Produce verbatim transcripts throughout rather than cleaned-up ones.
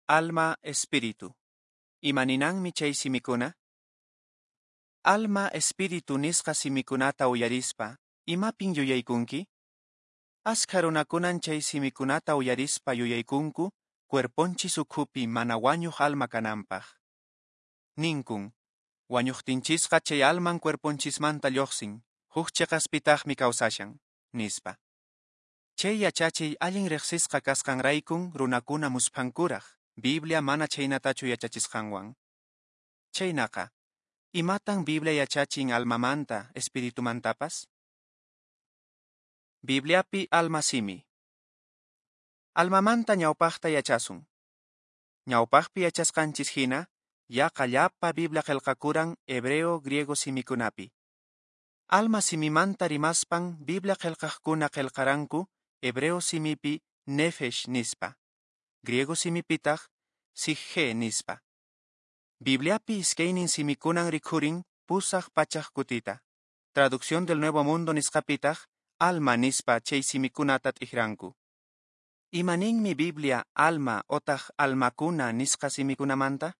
Alma, espíritu. Imaninanmi chay simikuna? Alma, espíritu nisqa simikunata uyarispa, imapin yuyaykunki? Askha runakunan chay simikunata uyarispa yuyaykunku cuerponchis ukhupi mana wañuq alma kananpaq. Ninkun, wañuqtinchisqa chay alman cuerponchismanta lluqsin, huk chiqaspitaqmi kawsashan, nispa. Chay yachachiy allin riqsisqa kasqanraykun runakuna musphankuraq, Biblia mana chhaynatachu yachachisqanwan. Chhaynaqa, imatan Biblia yachachin almamanta, espiritumantapas? Bibliapi alma simi. Almamanta ñawpaqta yachasun. Ñawpaqpi yachasqanchis hina, yaqa llapa Biblia qillqakuran hebreo griego simikunapi. Alma simimanta rimaspan Biblia qillqaqkuna qillqaranku hebreo simipi nefesh nispa, griego simipitaq psiche nispa. Bibliapi iskaynin simikunan rikhurin pusaq pachaq kutita. Traducción del Nuevo Mundo nisqapitaq alma nispa chay simikunata t'ikranku. Imaninmi Biblia alma otaq almakuna nisqa simikunamanta?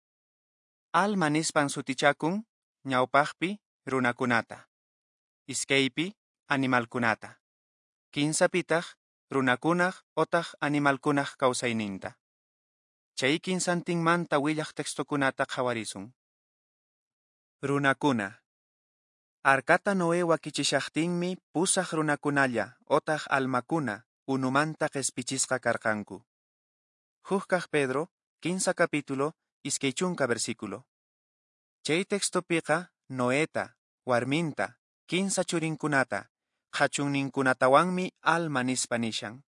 Alma nispan sutichakun ñawpaqpi runakunata, iskaypi animalkunata, kinsapitaq runakunaq otaq animalkunaq kawsayninta. Chay kinsantinmanta willaq textokunata qhawarisun. Runakuna. Arkata Noé wakichishaqtinmi pusaq runakunalla otaq almakuna unumanta qespichisqa karqanku. Huk kaq Pedro, kinsa capítulo, iskay chunka versículo. Chay textopiqa Noeta, warminta, kinsa churinkunata, qhachunninkunatawanmi alma nispa nishan.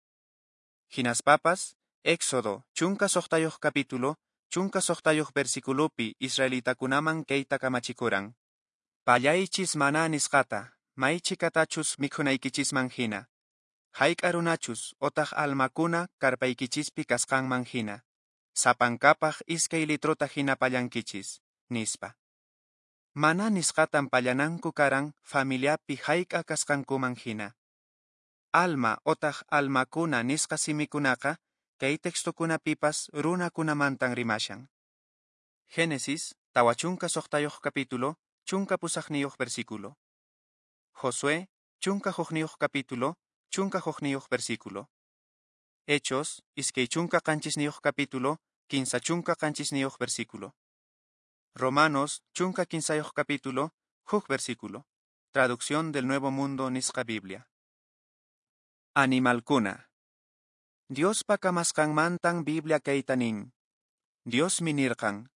Hinaspapas, Éxodo, chunka suqtayuq capítulo, chunka suqtayuq versiculopi israelitakunaman kayta kamachikuran. Pallaychis maná nisqata, maychikatachus mikhunaykichisman hina. Hayk'a runachus otaq almakuna karpaykichispi kasqanman hina. Sapankapaq iskay litrota hina pallankichis, nispa. Maná nisqatan pallananku karan familiapi hayk'a kasqankuman hina. Alma otaq almakuna nisqa simikunaqa kay textokunapipas runakunamantan rimashan. Génesis, tawa chunka suqtayuq capítulo, chunka pusaqniyuq versículo. Josué, chunka hukniyuq capítulo, chunka hukniyuq versículo. Hechos, iskay chunka qanchisniyuq capítulo, kinsa chunka qanchisniyuq versículo. Romanos, chunka kinsayuq capítulo, huk versículo. Traducción del Nuevo Mundo nisqa Biblia. Animalkuna. Diospa kamasqanmantan Biblia kayta nin. Diosmi nirqan,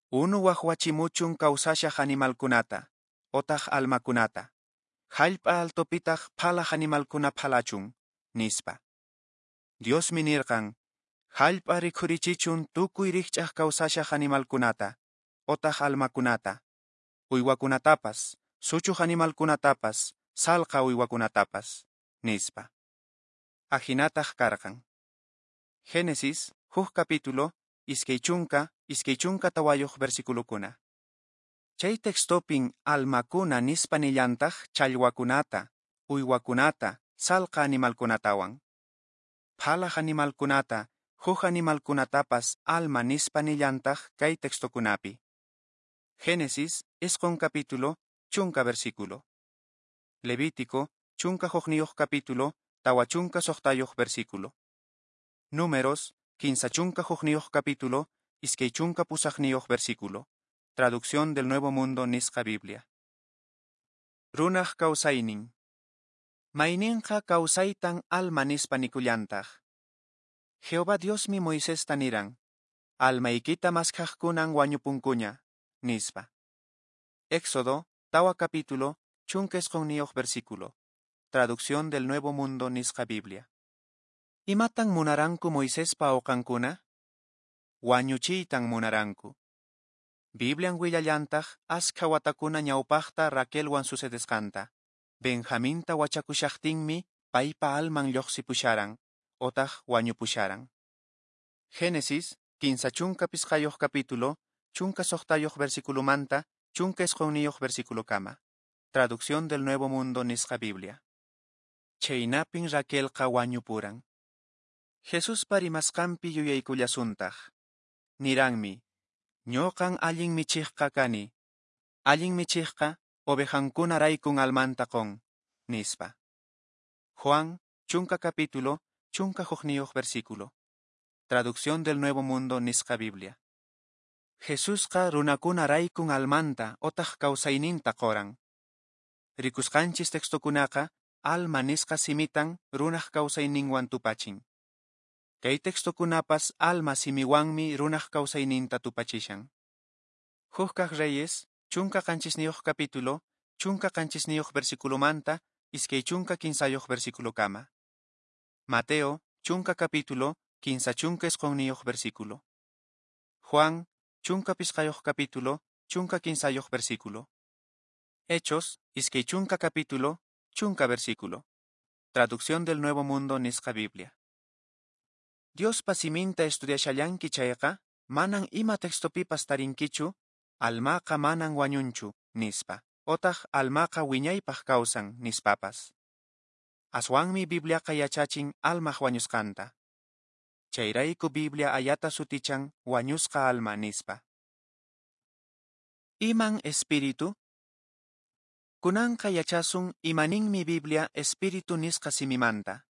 unu waqwachimuchun kawsashaq animalkunata, otaq almakunata. Hallp'a altopitaq phalaq animalkuna phalachun, nispa. Diosmi nirqan, hallp'a rikhurichichun tukuy rikch'aq kawsashaq animalkunata, otaq almakunata, uywakunatapas, suchuq animalkunatapas, salqa uywakunatapas, nispa. Ahinataq karqan. Génesis, huk capítulo, iskay chunka, iskay chunka tawayuq versiculokuna. Chay textopin almakuna nispa nillantaq challwakunata, uywakunata, salqa animalkunatawan. Phalaq animalkunata, huk animalkunatapas alma nispa nillantaq kay textokunapi. Génesis, isqun capítulo, chunka versículo. Levítico, chunka hukniyuq capítulo, tawa chunka suqtayuq versículo. Números, kinsa chunka hukniyuq capítulo, iskay chunka pusaqniyuq versículo. Traducción del Nuevo Mundo nisqa Biblia. Runaq kawsaynin. Mayninqa kawsaytan alma nispa nikullantaq. Jehová Diosmi Moisesta niran, almaykita maskhaqkunan wañupunkuña, nispa. Éxodo, tawa capítulo, chunka isqunniyuq versículo. Traducción del Nuevo Mundo nisqa Biblia. Imatan munaranku Moisespa awqankuna? Wañuchiytan munaranku. Biblian willallantaq askha watakuna ñawpaqta Raquelwan sucedesqanta. Benjaminta wachakushaqtinmi paypa alman lluqsipusharan, otaq wañupusharan. Génesis, kinsa chunka pisqayuq capítulo, chunka suqtayuq versiculomanta, chunka isqunniyuq versiculokama. Traducción del Nuevo Mundo nisqa Biblia. Chhaynapin Raquelqa wañupuran. Jesuspa rimasqanpi yuyaykullasuntaq. Niranmi, ñoqan allin michiqqa kani, allin michiqqa ovejankunaraykun almanta qon, nispa. Juan, chunka capítulo, chunka hukniyuq versículo. Traducción del Nuevo Mundo nisqa Biblia. Jesusqa runakunaraykun almanta otaq kawsayninta qoran. Rikusqanchis textokunaqa alma nisqa simitan runaq kawsayninwan tupachin. Kay textokunapas alma simiwanmi runaq kawsayninta tupachishan. Huk kaq Reyes, chunka qanchisniyuq capítulo, chunka qanchisniyuq versiculomanta, iskay chunka kinsayuq versiculokama. Mateo, chunka capítulo, kinsa chunka isqunniyuq versículo. Juan, chunka pisqayuq capítulo, chunka kinsayuq versículo. Hechos, iskay chunka capítulo, chunka versículo. Traducción del Nuevo Mundo nisqa Biblia. Diospa siminta estudiashallanki chayqa, manan ima textopipas tarinkichu, almaqa manan wañunchu, nispa, otaq almaqa wiñaypaq kawsan, nispapas. Aswanmi Bibliaqa yachachin almaq wañusqanta. Chayrayku Biblia ayata sutichan wañusqa alma nispa. Iman espíritu? Kunanqa yachasun imaninmi Biblia espíritu nisqa simimanta.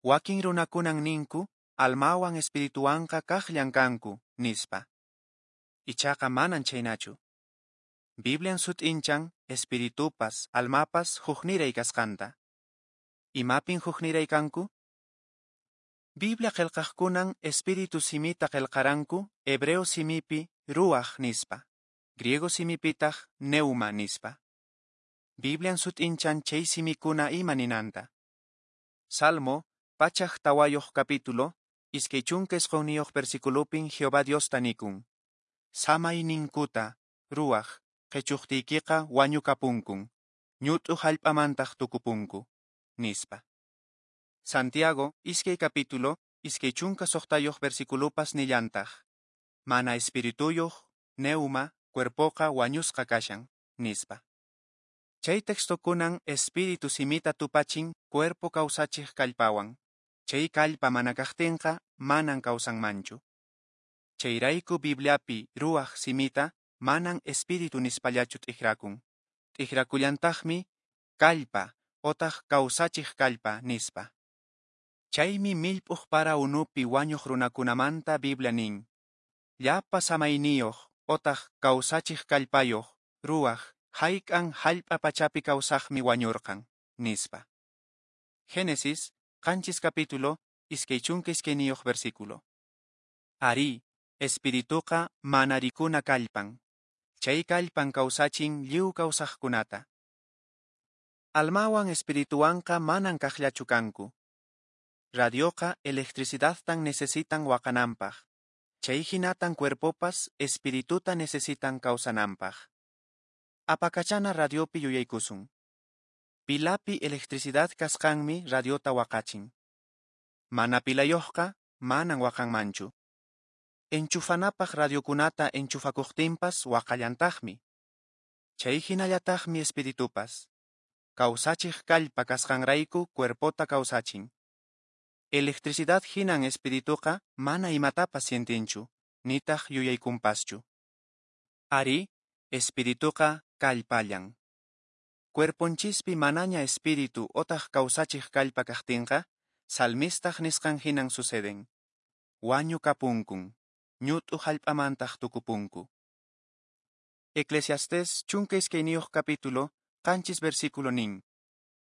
Wakin runakunan ninku, almawan espirituwanqa kaqllan kanku, nispa. Ichaqa manan chhaynachu. Biblian sut'inchan espiritupas, almapas hukniray kasqanta. Imapin hukniray kanku? Biblia qillqaqkunan espíritu simita qillqaranku hebreo simipi ruaj nispa, griego simipitaq neuma nispa. Biblian sut'inchan chay simikuna ima ninanta. Salmo, pachak tawayuq capítulo, iskay chunka isqunniyuq versiculopin Jehová Diosta nikun. Samayninkuta, ruaj, qhichuqtiykiqa wañukapunkun, ñut'u hallp'amantaq tukupunku, nispa. Santiago, iskay capítulo, iskay chunka suqtayuq versiculopas nillantaq. Mana espirituyuq, neuma, cuerpoqa wañusqa kashan, nispa. Chay textokunan espíritu simita tupachin cuerpo kawsachiq kallpawan. Chay kallpa mana kaqtinqa manan kawsanmanchu. Chayrayku Bibliapi ruaj simita manan espíritu nispallachu t'ikrakun. T'ikrakullantaqmi kallpa otaq kawsachiq kallpa nispa. Chaymi millp'uq para unupi wañuq runakunamanta Biblia nin. Llapa samayniyuq otaq kawsachiq kallpayuq ruaj hayk'an hallp'a pachapi kawsaqmi wañurqan, nispa. Génesis, qanchis capítulo, iskay chunka iskayniyuq versículo. Ari, espirituqa mana rikuna kallpan. Chay kallpan kawsachin lliw kawsaqkunata. Almawan espirituwanqa manan kaqllachu kanku. Radioqa electricidadtan necesitan waqananpaq. Chay hinatan cuerpopas espirituta necesitan kawsananpaq. Apakachana radiopi yuyaykusun. Pilapi electricidad kasqanmi radiota waqachin. Mana pilayuqqa manan waqanmanchu. Enchufanapaq radiokunata enchufakuqtinpas waqallantaqmi. Chay hinallataqmi espiritupas. Kawsachiq kallpa kasqanrayku cuerpota kawsachin. Electricidad hinan espirituqa mana imatapas sientinchu, nitaq yuyaykunpaschu. Ari, espirituqa kallpallan. Cuerponchispi manaña espíritu otaq kawsachiq kallpa kaqtinqa, salmistaq nisqan hinan suceden. Wañukapunkun, ñut'u hallp'amantaq tukupunku. Eclesiastés chunka iskayniyuq capítulo, qanchis versículo nin.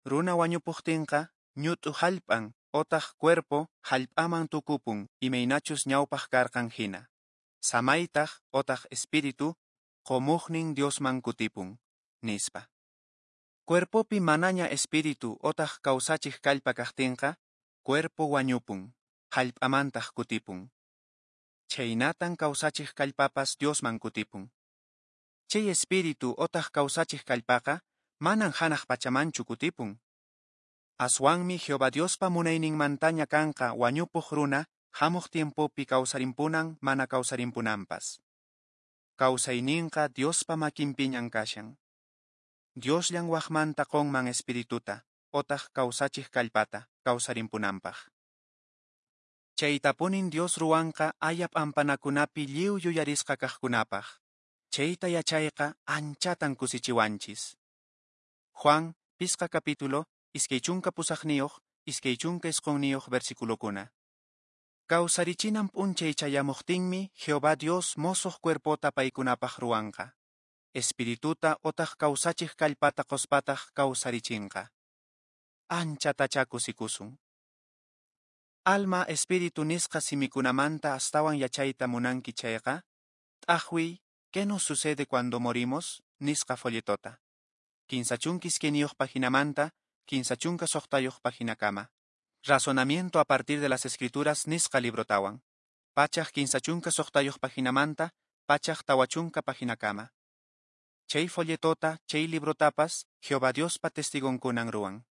Runa wañupuqtinqa, ñut'u hallp'an otaq cuerpo hallp'aman tukupun imaynachus ñawpaq karqan hina. Samaytaq otaq espíritu qomuqnin Diosman kutipun, nispa. Cuerpopi manaña espíritu otaq kawsachiq kallpa kaqtinqa, cuerpo wañupun, hallp'amantaq kutipun. Chhaynatan kawsachiq kallpapas Diosman kutipun. Chay espíritu otaq kawsachiq kallpaqa manan hanaq pachamanchu kutipun. Aswanmi Jehová Diospa munayninmantaña kanqa wañupuq runa hamuq tiempopi kawsarimpunan mana kawsarimpunanpas. Kawsayninqa Diospa makinpiñan kashan. Diosllan waqmanta qonman espirituta, otaq kawsachiq kallpata, kawsarimpunanpaq. Chaytapunin Dios ruwanqa aya p'ampanakunapi lliw yuyarisqa kaqkunapaq. Chayta yachayqa anchatan kusichiwanchis. Juan, pisqa capítulo, iskay chunka pusaqniyuq, iskay chunka isqunniyuq versiculokuna. Kawsarichinan p'unchay chayamuqtinmi Jehová Dios mosoq cuerpota paykunapaq ruwanqa. Espirituta otaq kawsachiq kallpata qospataq kawsarichinqa. Anchatachá kusikusun. Alma espíritu nisqa simikunamanta astawan yachayta munanki chayqa, t'aqwiy ¿Qué nos sucede cuando morimos? Nisqa folletota. Kinsa chunka iskayniyuq paginamanta, kinsa chunka suqtayuq paginakama. Razonamiento a partir de las escrituras nisqa librotawan. Pachak kinsa chunka suqtayuq paginamanta, pachak tawa chunka paginakama. Chay folletota, chay librotapas, Jehová Diospa testigonkunan ruwan.